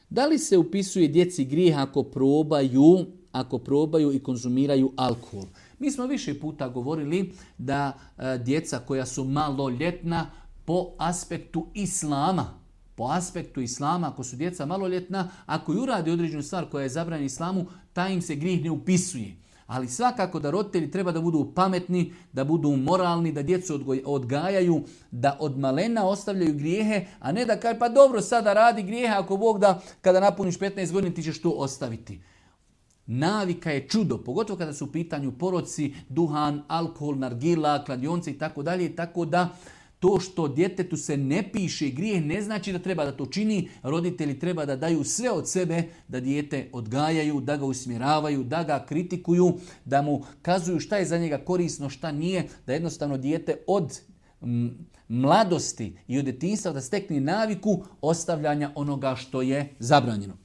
Da li se upisuje djeci grijeh ako probaju i konzumiraju alkohol? Mi smo više puta govorili da djeca koja su maloljetna po aspektu islama, ako su djeca maloljetna, ako i urade određenu stvar koja je zabranjena islamu, taj im se grijeh ne upisuje. Ali svakako da roditelji treba da budu pametni, da budu moralni, da djecu odgajaju, da od malena ostavljaju grijehe, a ne da kaže pa dobro sada radi grijehe, ako Bog da kada napuniš 15 godina ti ćeš to ostaviti. Navika je čudo, pogotovo kada su u pitanju poroci, duhan, alkohol, nargila, kladionce i tako dalje, tako da to što djetetu se ne piše grijeh ne znači da treba da to čini. Roditelji treba da daju sve od sebe da dijete odgajaju, da ga usmjeravaju, da ga kritikuju, da mu kazuju šta je za njega korisno, šta nije, da jednostavno dijete od mladosti i od djetinjstva da stekne naviku ostavljanja onoga što je zabranjeno.